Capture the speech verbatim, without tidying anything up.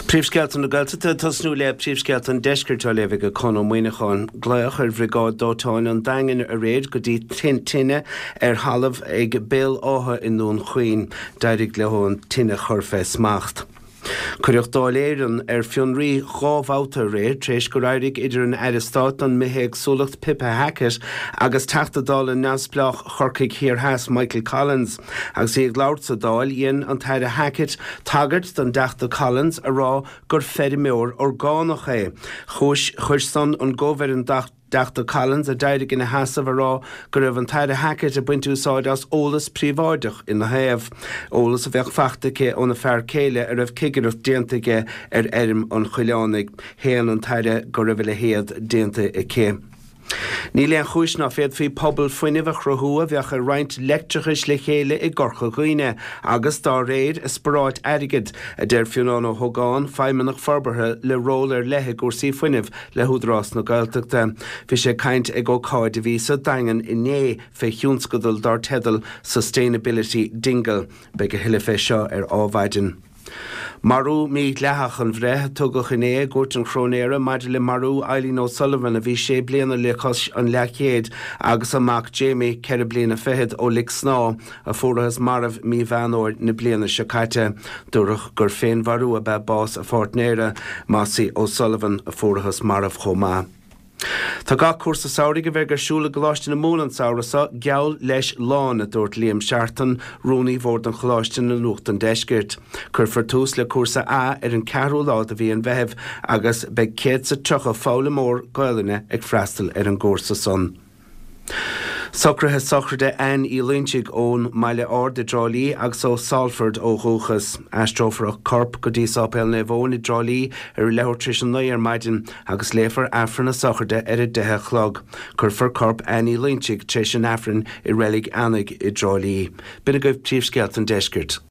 Príomhscéalta na Gaeltachta tosnú le príomhscéalta an deiscirt á léamh ag Conn Ó Muíneacháin. Glaodh ar bhriogáid dóiteáin an Daingin aréir go dtí tine ar thalamh ag Béal Átha i nDún Chaoin. D'éirigh leo an tine a chur fé smacht. Cuireadh Dáil Éireann ar fionraí dhá bhabhta aréir tar éis gur éirigh idir an Aire Stáit don Bithéagsúlacht Pippa Hackett agus Teachta Dála neamhspleách Chorcaigh Thiar Theas Michael Collins. Agus í ag labhairt sa Dáil dhein an tAire Hackett tagairt don dTeachta Collins a rá gur feirmeoir orgánach é. Chuis chuir san an gomh ar an dTeachta Collins a d'éirigh ina sheasamh a rá go raibh an tAire Hackett ag baint úsáid as eolas príobháideach ina thaobh. Eolas a bheadh faighte aici óna fear céile a raibh cigireacht déanta aige ar fheirm an Choileánaigh. Shéan an tAire go raibh a leithéid déanta aici. Níl aon chúis ná féadfaí pobal fuinnimh a chruthú a bheadh ag roinnt leictreachais le chéile i gCorca Dhuibhne, agus dá réir ag sparáit airgid, a deir Fionnán Ó hÓgáin, feidhmeannach forbartha le ról ar leith i gcúrsaí fuinnimh le hÚdarás na Gaeltachta. Bhí sé ag caint ag ócáid a bhí sa Daingean inné fé thionscadal dar teideal Sustainability Dingle. Beidh a thuilleadh fé seo ar Adhmhaidin. Marú mídhleathach an bhreith a tugadh inné i gCúirt an Chróinéara maidir le marú Eileen O'Sullivan a bhí sé bliana le cois an leathchéid agus a mac Jamie ceithre bliana fichead ó Lic Snámha a fuarathas marbh mí Mheán Fhómhair na bliana seo caite. Dúradh gur féinmharú ab ea bás a pháirtnéara, Mossie O'Sullivan, a fuarathas marbh chomh maith. Tá gach cúrsa samhraidh a bheidh ar siúl i gColáiste na Mumhan an samhradh seo geall leis lán, a dúirt Liam Seartan, rúnaí bhord an choláiste le Nuacht an Deiscirt. Cuirfear tús le cúrsa A ar an ceathrú lá de mhí an Mheithimh agus beidh céad is tríocha foghlaimeoir Gaelainne ag freastal ar an gcúrsa san. Socruithe sochraide Anne Uí Loinsigh ón mBaile Ard i dTrá Lí agus ó Salford ó dhúchas. Aistreofar a corp go dtí Sáipéal Naomh Eoin i dTrá Lí ar a leathuair tar éis a naoi ar maidin agus léifear Aifreann na sochraide ar a deich a chlog. Cuirfear corp Anne Uí Loinsigh tar éis an Aifrinn i Reilig Eanaigh i dTrá Lí. B'in agaibh príomhscéalta an deiscirt.